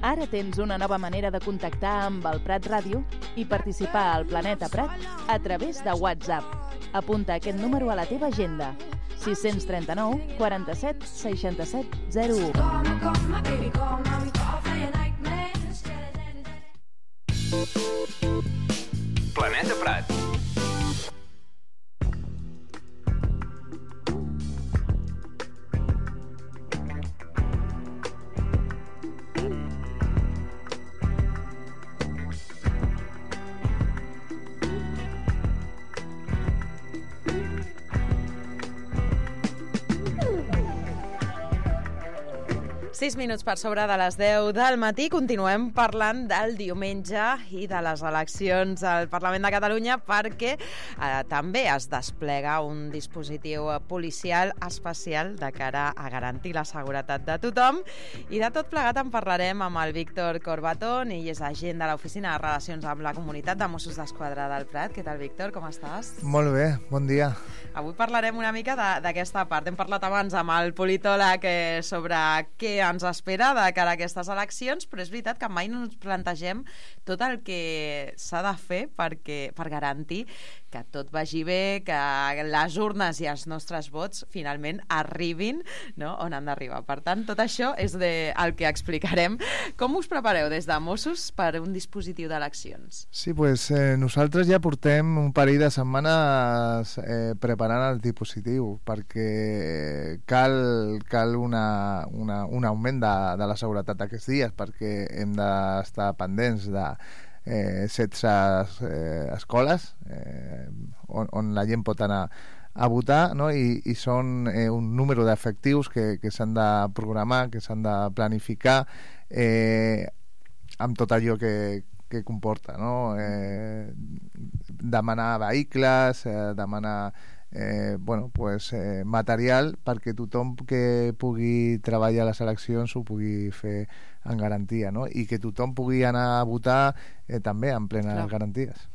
Ara tens una nova manera de contactar amb el Prat Ràdio i participar al Planeta Prat a través de WhatsApp. Apunta aquest número a la teva agenda: 639 47 67 01. Planeta Prat. Sis minuts per sobre de les 10 del matí. Continuem parlant del diumenge i de les eleccions al Parlament de Catalunya perquè també es desplega un dispositiu policial especial de cara a garantir la seguretat de tothom. I de tot plegat en parlarem amb el Víctor Corbatón, ell és agent de l'Oficina de Relacions amb la Comunitat de Mossos d'Esquadra del Prat. Què tal, Víctor? Com estàs? Molt bé, bon dia. Avui parlarem una mica d'aquesta part. Hem parlat abans amb el politòleg sobre què ens espera de cara a aquestes eleccions, però és veritat que mai no ens plantegem tot el que s'ha de fer per garantir que tot vagi bé, que les urnes i els nostres vots finalment arribin, no?, on han d'arribar. Per tant, tot això és el que explicarem. Com us prepareu des de Mossos per un dispositiu d'eleccions? Sí, pues nosaltres ja portem un parell de setmanes preparant el dispositiu perquè cal un augment de la seguretat aquests dies, perquè hem d'estar pendents de 16 escoles on la gent pot anar a votar, no? I són un número d'efectius que s'han de programar, que s'han de planificar amb tot allò que comporta, no? Demanar vehicles, demanar material perquè tothom que pugui treballar a les eleccions ho pugui fer en garantia, no? I que tothom pugui anar a votar també en plenes garanties.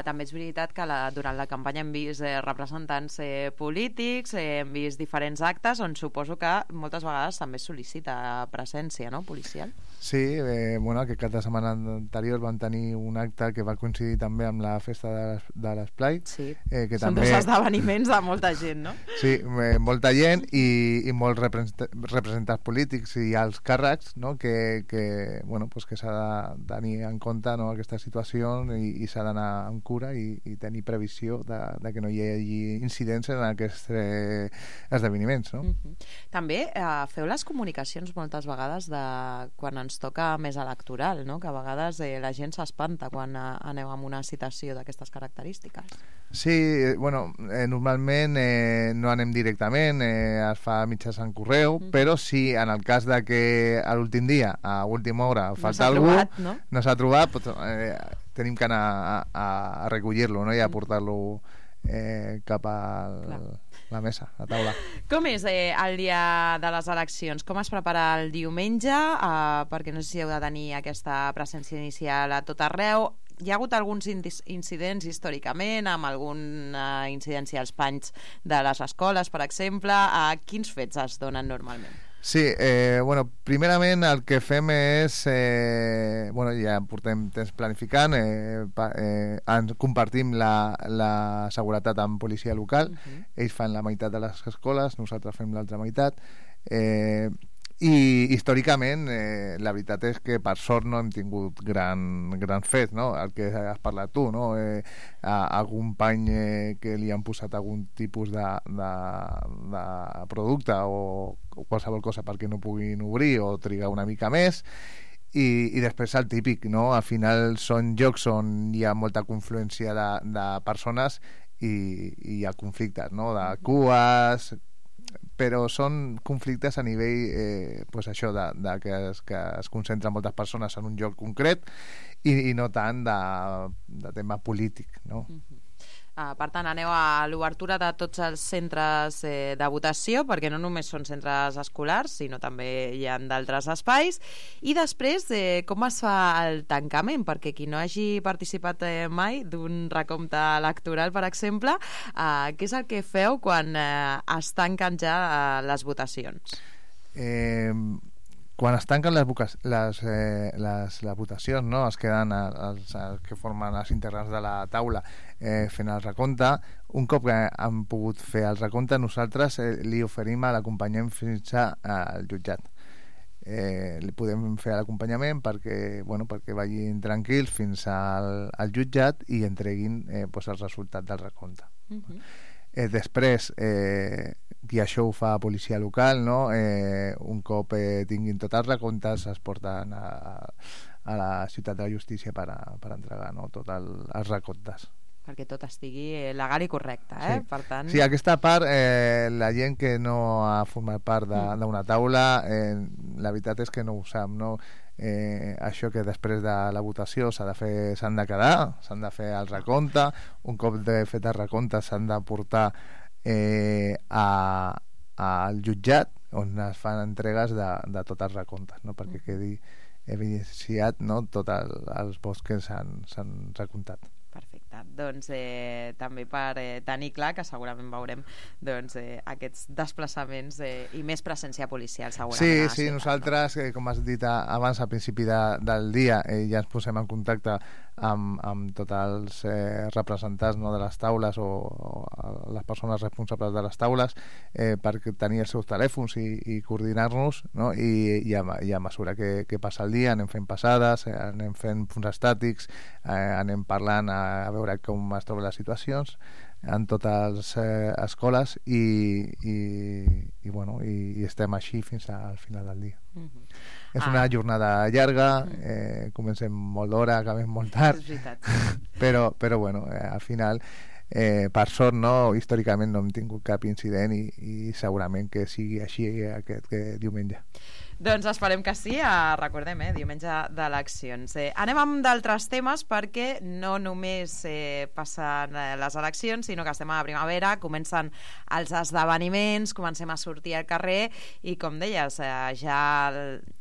També és veritat que durant la campanya hem vist representants polítics, hem vist diferents actes on suposo que moltes vegades també es sol·licita presència, no?, policial. Sí, aquest cap de setmana anterior vam tenir un acte que va coincidir també amb la festa de l'Esplai. Sí, que són també... dos esdeveniments de molta gent, no? Sí, molta gent i molts representants polítics i alts càrrecs, no?, que s'ha de tenir en compte, no?, aquesta situació i s'ha d'anar amb cura i tenir previsió de que no hi hagi incidents en aquests esdeveniments, no? També feu les comunicacions moltes vegades de quan ens toca més electoral, no?, que a vegades la gent s'espanta quan aneu amb una citació d'aquestes característiques. Sí, normalment no anem directament, es fa mitjançant correu, però sí, en el cas de que a l'últim dia, a última hora, falta algú, no s'ha trobat, tenim que anar a recollir-lo, no?, i a portar-lo cap a la mesa, a la taula. Com és el dia de les eleccions? Com es prepara el diumenge? Perquè no sé si heu de tenir aquesta presència inicial a tot arreu. Hi ha hagut alguns incidents històricament, amb alguna incidència als panys de les escoles, per exemple. Quins fets es donen normalment? Sí, primerament el que fem és ja portem temps planificant, compartim la seguretat amb policia local, ells fan la meitat de les escoles, nosaltres fem l'altra meitat, i històricament la veritat és que per sort no hem tingut gran fet, no? El que has parlat tu, no? Algun pany que li han posat algun tipus de producte o qualsevol cosa perquè no puguin obrir o trigar una mica més. I després el típic, no? Al final són llocs on hi ha molta confluència de persones i hi ha conflictes, no?, de cues, però són conflictes a nivell que es concentren moltes persones en un lloc concret i no tant de tema polític, no? Per tant, aneu a l'obertura de tots els centres de votació, perquè no només són centres escolars, sinó també hi ha d'altres espais. I després, com es fa el tancament? Perquè qui no hagi participat mai d'un recompte electoral, per exemple, què és el que feu quan es tanquen ja les votacions? quan es tanquen les votacions, no? Es queden els que formen els integrants de la taula fent el recompte. Un cop que han pogut fer el recompte, nosaltres li oferim a l'acompanyament fins al jutjat. Li podem fer l'acompanyament perquè vagin tranquils fins al jutjat i entreguin el resultat del recompte. Després, i això ho fa policia local, no? Un cop tinguin tots els recomptes es porten a la ciutat de la justícia per entregar, no? Tots els recomptes, perquè tot estigui legal i correcte, sí. Per tant... Sí, aquesta part, la gent que no ha format part d'una taula, la veritat és que no ho sap, no? Això que després de la votació s'han de quedar, s'han de fer el recompte, un cop fet el recompte s'han de portar al jutjat on es fan entregues de tots els recomptes, no? Perquè quedi evidenciat, no? Tots els vots que s'han recomptat. Perfecte, doncs també per tenir clar que segurament veurem aquests desplaçaments i més presència policial segurament. Sí, nosaltres, com has dit abans, al principi del dia, ja ens posem en contacte amb tots els representants, no, de les taules o les persones responsables de les taules per tenir els seus telèfons i coordinar-nos, no? I a mesura que passa el dia anem fent passades, anem fent punts estàtics, anem parlant a veure com es troben les situacions en totes les escoles i estem així fins al final del dia. És una jornada llarga, comencem molt d'hora, acabem molt tard, però al final per sort, no, històricament no hem tingut cap incident i segurament que sigui així aquest diumenge. Doncs esperem que sí, recordem, diumenge d'eleccions. Anem amb d'altres temes perquè no només passen les eleccions, sinó que estem a la primavera, comencen els esdeveniments, comencem a sortir al carrer i, com deies, ja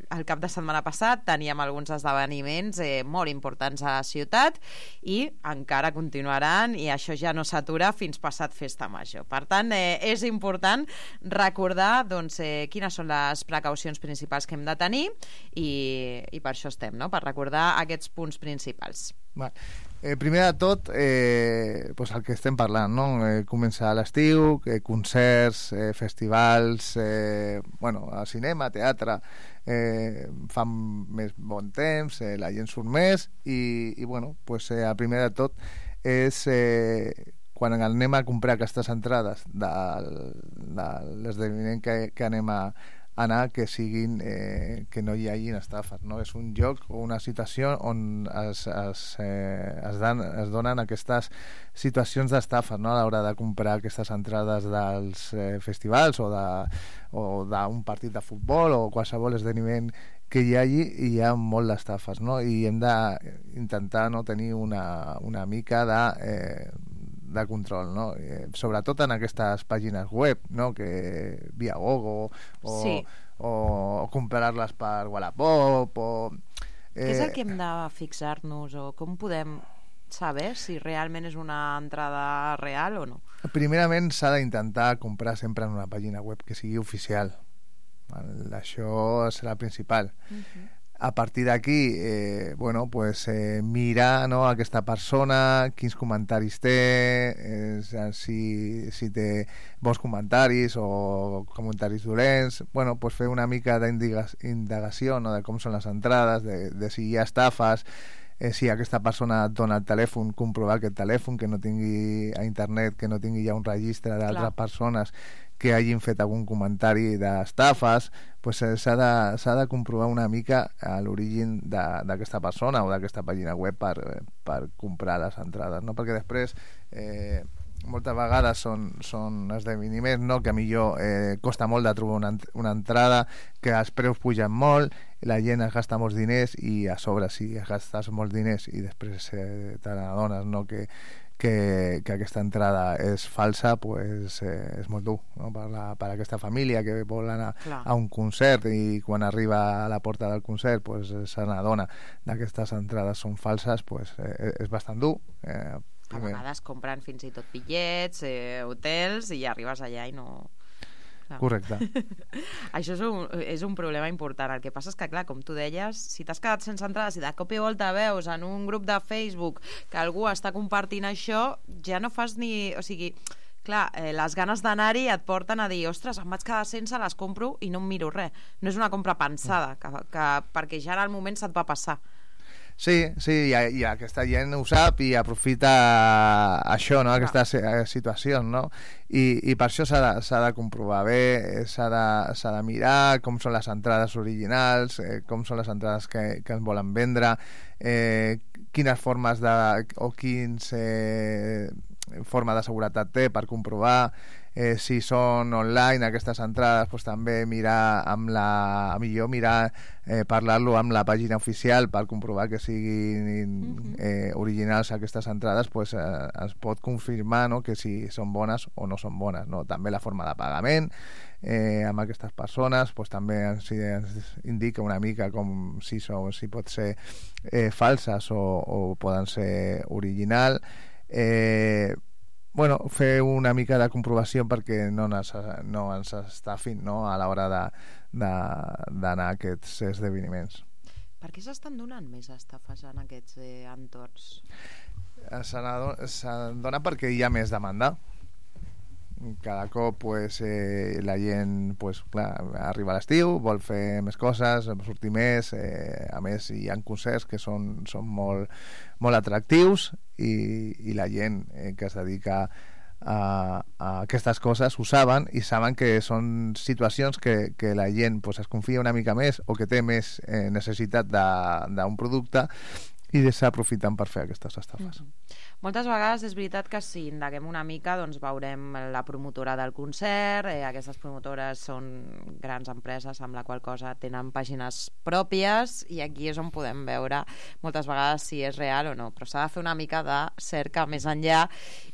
el cap de setmana passat teníem alguns esdeveniments molt importants a la ciutat i encara continuaran i això ja no s'atura fins passat Festa Major. Per tant, és important recordar quines són les precaucions principals que hem de tenir i per això estem, no? Per recordar aquests punts principals. Primer de tot, el que estem parlant, no? Començar l'estiu, concerts, festivals, a cinema, teatre, fan més bon temps, la gent surt més i el primer de tot és quan anem a comprar aquestes entrades de l'esdeveniment que anem a anar, que siguin que no hi hagi estafes, no? És un lloc o una situació on es donen aquestes situacions d'estafes, no? A l'hora de comprar aquestes entrades dels festivals o d'un partit de futbol o qualsevol esdeveniment que hi hagi, i hi ha molt d'estafes, no? I hem d'intentar, no, tenir una mica de control, no? Sobretot en aquestes pàgines web, no? Que via Gogo o comprar-les per Wallapop Què és el que hem de fixar-nos o com podem saber si realment és una entrada real o no? Primerament s'ha d'intentar comprar sempre en una pàgina web que sigui oficial. Això serà el principal. A partir d'aquí mirar, no, aquesta persona, quins comentaris té, si té bons comentaris o comentaris dolents, fer una mica d'indagació, no, de com són les entrades, de si hi ha estafes, si aquesta persona et dona el telèfon, comprovar aquest telèfon, que no tingui a internet, que no tingui ja un registre d'altres persones que hagin fet algun comentari d'estafes. S'ha de comprovar una mica l'origen d'aquesta persona o d'aquesta pàgina web per comprar les entrades, no? Perquè després moltes vegades són esdeveniments, no? Que millor costa molt de trobar una entrada, que els preus pugen molt, la gent es gasta molts diners i a sobre si es gastes molts diners i després te n'adones, no, que aquesta entrada és falsa, és molt dur, no? Per aquesta família que vol anar a un concert i quan arriba a la porta del concert se n'adona d'aquestes entrades són falses, és bastant dur. A vegades compren fins i tot bitllets, hotels, i arribes allà i no Correcte. Això és un problema important. El que passa és que, clar, com tu deies, si t'has quedat sense entrades i de cop i volta veus en un grup de Facebook que algú està compartint això, ja no fas ni... O sigui, clar, les ganes d'anar-hi et porten a dir, ostres, em vaig quedar sense, les compro i no em miro res. No és una compra pensada, perquè ja en el moment se't va passar. Sí, i aquesta gent ho sap i aprofita això, no? Aquestes situacions, no? I per això s'ha de comprovar bé, s'ha de mirar com són les entrades originals, com són les entrades que ens volen vendre, quines formes o quins forma de seguretat té per comprovar, si són online aquestes entrades, doncs també parlar-lo amb la pàgina oficial per comprovar que siguin originals aquestes entrades, doncs es pot confirmar, no?, que si són bones o no són bones, no? També la forma de pagament amb aquestes persones doncs també ens indica una mica com si pot ser falses o poden ser original. Fer una mica de comprovació perquè no ens estafin, no?, a l'hora d'anar a aquests esdeveniments. Per què s'estan donant més estafes en aquests entorns? S'adona perquè hi ha més demanda. Cada cop la gent, clar, arriba a l'estiu, vol fer més coses, sortir més, a més hi ha concerts que són molt, molt atractius i la gent que es dedica a aquestes coses ho saben i saben que són situacions que la gent es confia una mica més o que té més necessitat d'un producte i s'aprofiten per fer aquestes estafes. Moltes vegades és veritat que si indaguem una mica doncs veurem la promotora del concert, aquestes promotores són grans empreses amb la qual cosa tenen pàgines pròpies i aquí és on podem veure moltes vegades si és real o no, però s'ha de fer una mica de cerca més enllà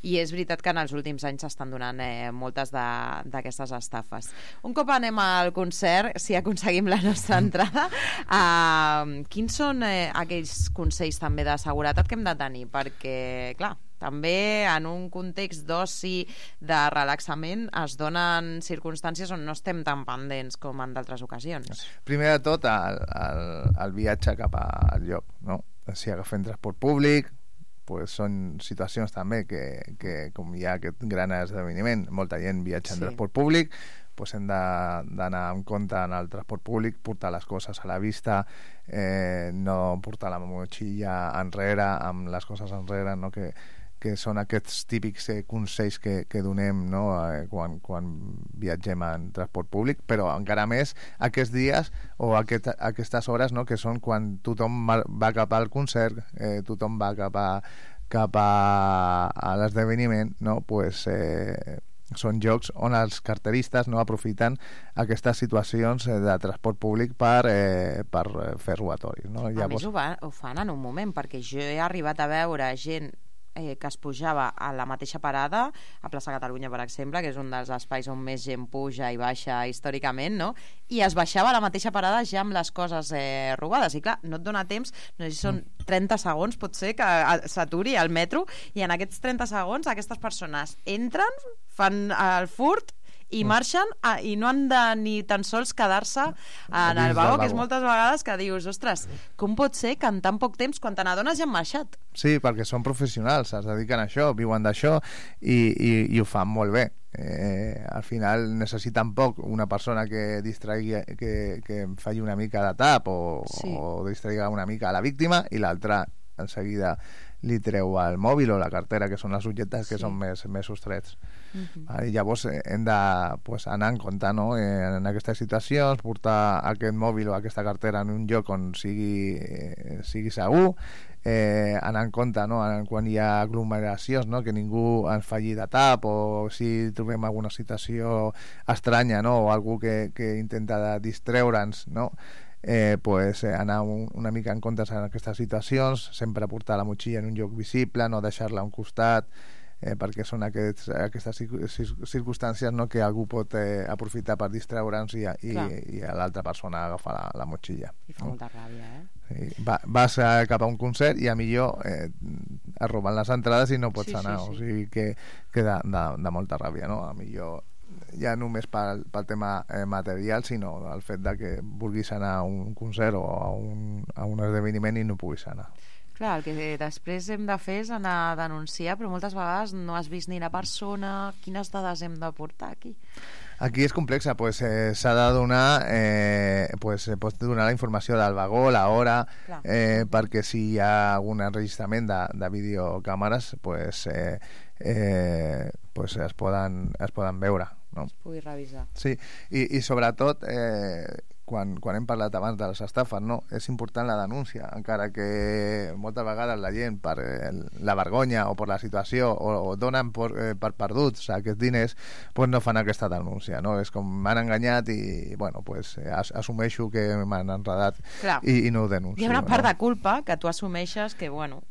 i és veritat que en els últims anys s'estan donant moltes d'aquestes estafes. Un cop anem al concert, si aconseguim la nostra entrada, quins són aquells consells també de seguretat que hem de tenir? Perquè clar, també en un context d'oci, de relaxament, es donen circumstàncies on no estem tan pendents com en d'altres ocasions. Primer de tot, el viatge cap al lloc, no? Si agafem transport públic, són situacions també que com hi ha aquest gran esdeveniment, molta gent viatja en transport públic, hem d'anar en compte en el transport públic, portar les coses a la vista, no portar la motxilla enrere, amb les coses enrere, no? Que són aquests típics consells que donem, no?, quan viatgem en transport públic, però encara més aquests dies o aquestes hores, no?, que són quan tothom va cap al concert, tothom va cap a l'esdeveniment, no?, són jocs on els carteristes no aprofiten aquestes situacions de transport públic per fer robatoris, no? A més ho fan en un moment, perquè jo he arribat a veure gent que es pujava a la mateixa parada, a Plaça Catalunya, per exemple, que és un dels espais on més gent puja i baixa històricament, no?, i es baixava a la mateixa parada ja amb les coses robades, i clar, no et dona temps, no sé si són 30 segons, pot ser que s'aturi al metro, i en aquests 30 segons aquestes persones entren, fan el furt i marxen i no han de ni tan sols quedar-se en el vagó, que és moltes vegades que dius, ostres, com pot ser que en tan poc temps, quan te n'adones, ja han marxat? Sí, perquè són professionals, es dediquen a això, viuen d'això i ho fan molt bé. Al final necessiten poc una persona que distraigui, que faci una mica de tap o distraigui una mica a la víctima i l'altra en seguida li treu el mòbil o la cartera, que són els objectes que són més sostrets. I llavors hem d'anar en compte, no?, en aquestes situacions, portar aquest mòbil o aquesta cartera en un lloc on sigui segur, anar en compte, no?, quan hi ha aglomeracions, no?, que ningú ens faci de tap, o si trobem alguna situació estranya, no?, o algú que intenta distreure'ns, no?, anar una mica en compte en aquestes situacions, sempre portar la motxilla en un lloc visible, no deixar-la a un costat, perquè són aquestes circumstàncies, no?, que algú pot aprofitar per distreure'ns i l'altra persona agafa la motxilla. I fa molta ràbia, Vas cap a un concert i a millor es roben les entrades i no pots anar, o sigui que de molta ràbia, no? A millor ja només pel tema material, sinó el fet de que vulguis anar a un concert o a un esdeveniment i no puguis anar. Clar, el que després hem de fer és anar a denunciar, però moltes vegades no has vist ni la persona. Quines dades hem de portar aquí? Aquí és complexa, pues, s'ha de donar pots donar la informació del vagó, l'hora, perquè si hi ha algun enregistrament de videocàmeres pues es poden veure, no? Es pugui revisar. Sí, i sobretot quan hem parlat abans de les estafes, no? És important la denúncia, encara que moltes vegades la gent per la vergonya o per la situació o donen per perduts aquests diners, pues no fan aquesta denúncia, no? És com m'han enganyat i bueno, pues assumeixo que m'han enredat i no ho denuncio. Hi ha una part de culpa que tu assumeixes que bueno,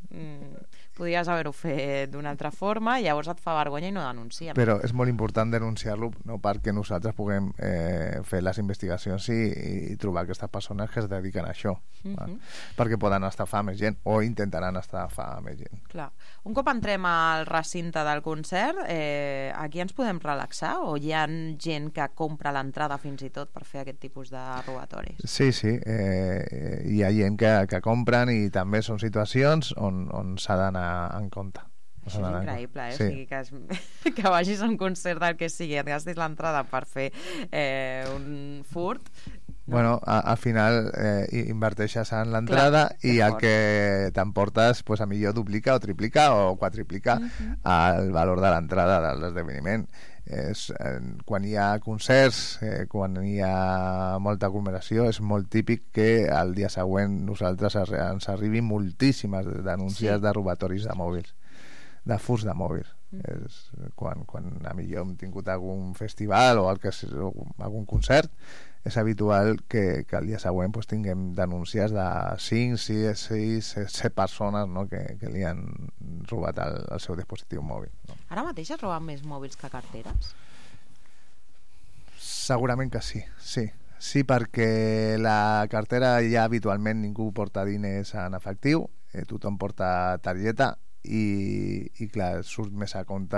podries haver-ho fet d'una altra forma i llavors et fa vergonya i no denunciem. Però és molt important denunciar-lo, no, perquè nosaltres puguem fer les investigacions i trobar aquestes persones que es dediquen a això, perquè poden estafar més gent o intentaran estafar més gent. Clar. Un cop entrem al recinte del concert, aquí ens podem relaxar o hi ha gent que compra l'entrada fins i tot per fer aquest tipus de robatoris? Sí, hi ha gent que compren i també són situacions on s'ha d'anar en compte. Això és increïble, sí. O sigui, que vagis a un concert del que sigui, et gastis l'entrada per fer un furt. No? Bueno, al final inverteixes en l'entrada i el que t'emportes pues, a millor duplica o triplica o quadriplica el valor de l'entrada de l'esdeveniment. Quan hi ha concerts, quan hi ha molta aglomeració, és molt típic que el dia següent nosaltres ens arribin moltíssimes denúncies de robatoris de mòbils, de furts de mòbils. Quan a millor hem tingut algun festival o algun concert, és habitual que el dia següent pues, tinguem denúncies de 5, 6, 7 persones, no, que li han robat el seu dispositiu mòbil. No? Ara mateix es roben més mòbils que carteres? Segurament que sí. Sí, perquè la cartera ja habitualment ningú porta diners en efectiu, tothom porta targeta i clar, surt més a compte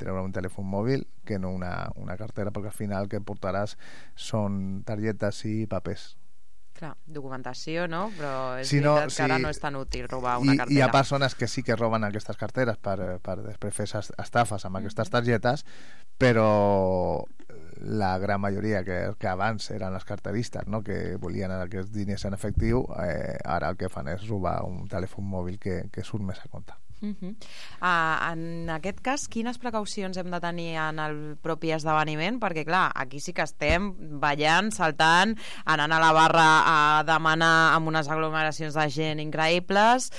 treure un telèfon mòbil que no una cartera, perquè al final el que portaràs són targetes i papers. Clar, documentació, no? Però és veritat que ara no és tan útil robar una cartera. Hi ha persones que sí que roben aquestes carteres per després fer estafes amb aquestes targetes, però la gran majoria que abans eren els carteristes, no? Que volien aquests diners en efectiu, ara el que fan és robar un telèfon mòbil que surt més a compte. En aquest cas, quines precaucions hem de tenir en el propi esdeveniment? Perquè clar, aquí sí que estem ballant, saltant, anant a la barra a demanar amb unes aglomeracions de gent increïbles.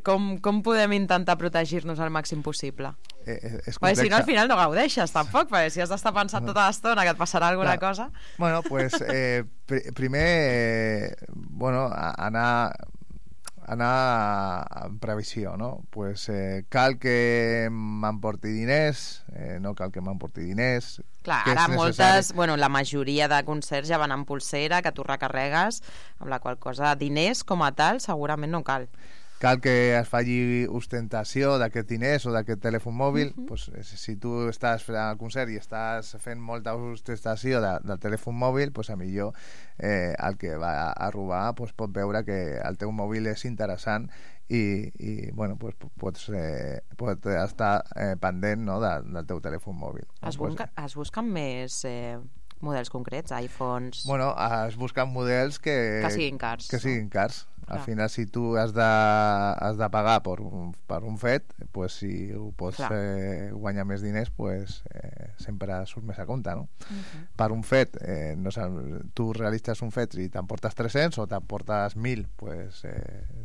Com podem intentar protegir-nos al màxim possible? Perquè si no al final no gaudeixes tampoc, perquè si has d'estar pensant tota l'estona que et passarà alguna cosa. Bueno, pues primer anar en previsió, no? Pues cal que m'emporti diners, no cal que m'emporti diners. Clar, ara moltes, la majoria de concerts ja van amb pulsera, que tu recarregues, amb la qual cosa diners com a tal segurament no cal. Cal que es faci ostentació d'aquests diners o d'aquest telèfon mòbil. Pues, si tu estàs fent el concert i estàs fent molta ostentació del telèfon mòbil, pues, a millor el que va a robar pues, pot veure que el teu mòbil és interessant i bueno, pues, pots estar pendent, no, del teu telèfon mòbil. Es busquen més models concrets, iPhones... Bueno, es busquen models que siguin cars. Que siguin cars. Al final, si tu has de pagar per un fet, pues, si ho pots guanyar més diners, pues, sempre surt més a compte, no? Per un fet, tu realitzes un fet i t'emportes 300 o t'emportes 1.000, pues,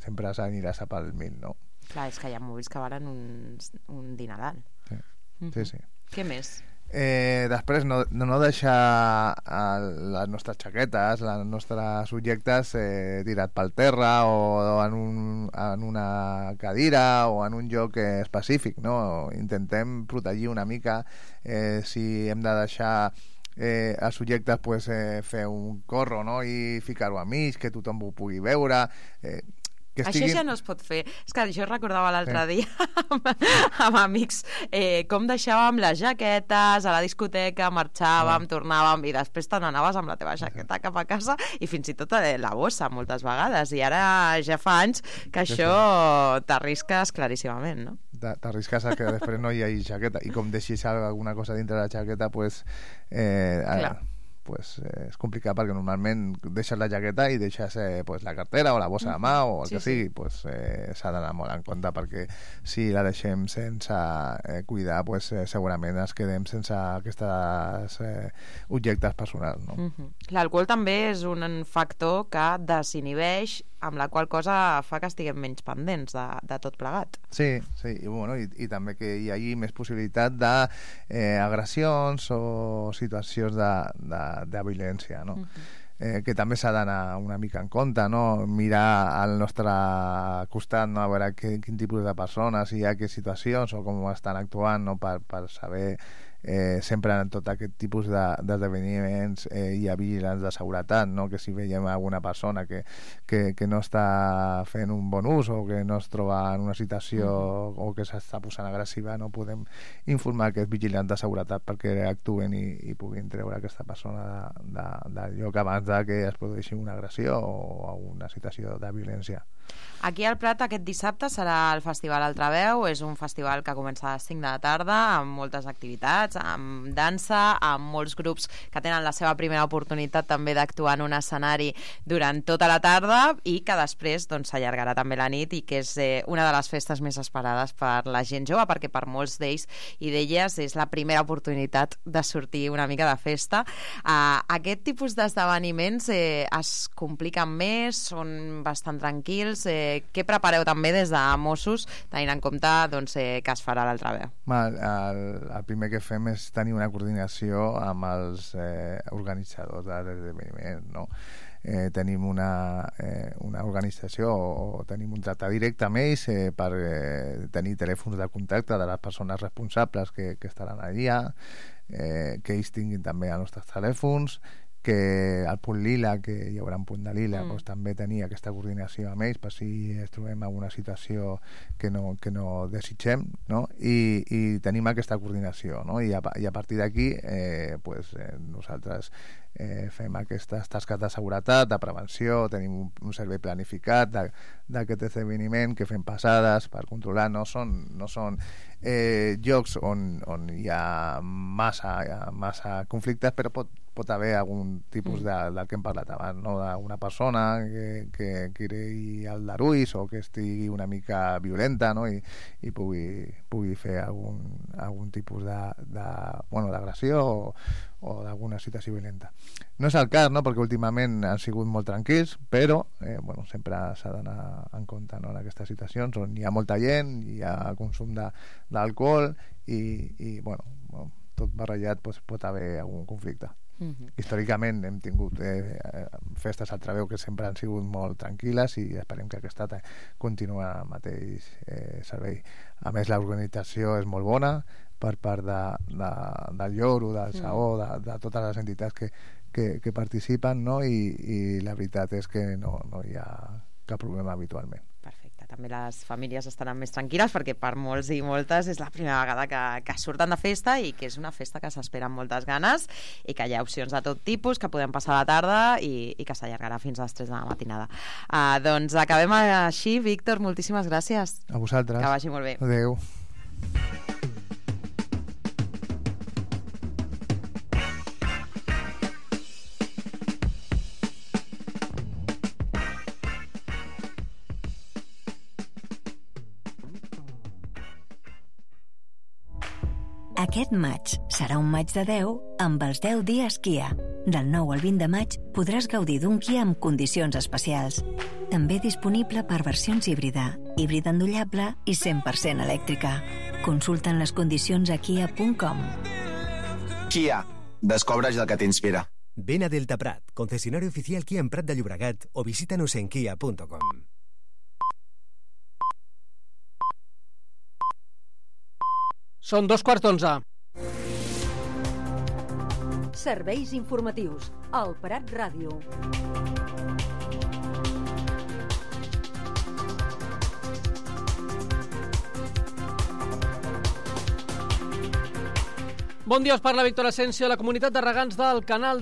sempre aniràs a pel 1.000, no? Clar, és que hi ha mòbils que valen un dineral. Sí. Què més? Després no deixar les nostres xaquetes, els nostres objectes tirat pel terra o en una cadira o en un lloc específic, no? Intentem protegir una mica. Si hem de deixar els subjectes, pues, fer un corro, no? I ficar-ho a mig, que tothom ho pugui veure. Això ja no es pot fer. És que jo recordava l'altre dia amb amics com deixàvem les jaquetes a la discoteca, marxàvem, tornàvem i després te n'anaves amb la teva jaqueta cap a casa i fins i tot la bossa moltes vegades, i ara ja fa anys que això t'arrisques claríssimament, no? T'arrisques a que després no hi hagi jaqueta, i com deixis alguna cosa dintre de la jaqueta, pues és complicat, perquè normalment deixes la jaqueta i deixes la cartera o la bossa de mà o el que sigui, s'ha d'anar molt en compte, perquè si la deixem sense cuidar, segurament ens quedem sense aquests objectes personals, no? L'alcohol també és un factor que desinhibeix, amb la qual cosa fa que estiguem menys pendents de tot plegat. Sí, i també que hi hagi més possibilitat d'agressions o situacions de violència, no? Que també s'ha d'anar una mica en compte, no? Mirar al nostre costat, no? A veure quin tipus de persones hi ha, quines situacions o com estan actuant, no? Per saber sempre en tot aquest tipus d'esdeveniments hi ha vigilants de seguretat, no? Que si veiem alguna persona que no està fent un bon ús o que no es troba en una situació o que s'està posant agressiva, no podem informar aquest vigilant de seguretat perquè actuen i puguin treure aquesta persona del lloc abans que es produeixi una agressió o una situació de violència. Aquí al Prat aquest dissabte serà el Festival Altraveu. És un festival que comença a les 5 de la tarda amb moltes activitats, amb dansa, amb molts grups que tenen la seva primera oportunitat també d'actuar en un escenari durant tota la tarda i que després s'allargarà també la nit, i que és una de les festes més esperades per la gent jove, perquè per molts d'ells i d'elles és la primera oportunitat de sortir una mica de festa. Aquest tipus d'esdeveniments es compliquen més, són bastant tranquils. Què prepareu també des de Mossos, tenint en compte que es farà l'Altraveu? El primer que fem és tenir una coordinació amb els organitzadors de l'esdeveniment, no? Tenim una organització o tenim un tracte directe amb ells per tenir telèfons de contacte de les persones responsables que estaran allà, que ells tinguin també els nostres telèfons, que al punt lila, que hi haurà un punt de lila, també tenir aquesta coordinació amb ells per si es trobem en una situació que no desitgem, no? I tenim aquesta coordinació, no? I a partir d'aquí nosaltres fem aquestes tasques de seguretat, de prevenció, tenim un servei planificat d'aquest esdeveniment, que fem passades per controlar. No són llocs on hi ha massa conflictes, però pot haver algun tipus del que hem parlat abans, no? D'una persona que creï aldarulls o que estigui una mica violenta, no? I pugui fer algun tipus d'agressió o d'alguna situació violenta. No és el cas, no? Perquè últimament han sigut molt tranquils, però sempre s'ha d'anar en compte, no? En aquestes situacions on hi ha molta gent, hi ha consum d'alcohol i tot barrejat pot haver algun conflicte. Històricament hem tingut festes al Traveu que sempre han sigut molt tranquil·les i esperem que aquesta continuï el mateix servei. A més, l'organització és molt bona per part del Lloro, del Saó, de totes les entitats que participen, no? I la veritat és que no hi ha cap problema habitualment. Perfecte. També les famílies estaran més tranquil·les perquè per molts i moltes és la primera vegada que surten de festa i que és una festa que s'espera amb moltes ganes i que hi ha opcions de tot tipus, que podem passar la tarda i que s'allargarà fins a les 3 de la matinada. Doncs acabem així. Víctor, moltíssimes gràcies. A vosaltres. Que vagi molt bé. Adéu. Aquest maig serà un maig de 10 amb els 10 dies Kia. Del 9 al 20 de maig podràs gaudir d'un Kia amb condicions especials. També disponible per versions híbrida endollable i 100% elèctrica. Consulta'n les condicions a kia.com. Kia. Descobreix el que t'inspira. Ven a Delta Prat, concesionario oficial Kia en Prat de Llobregat, o visítanos en kia.com. Són 11:15. Serveis informatius al Prat Ràdio. Bon dia, us parla Víctor Asensio. La comunitat de regants del Canal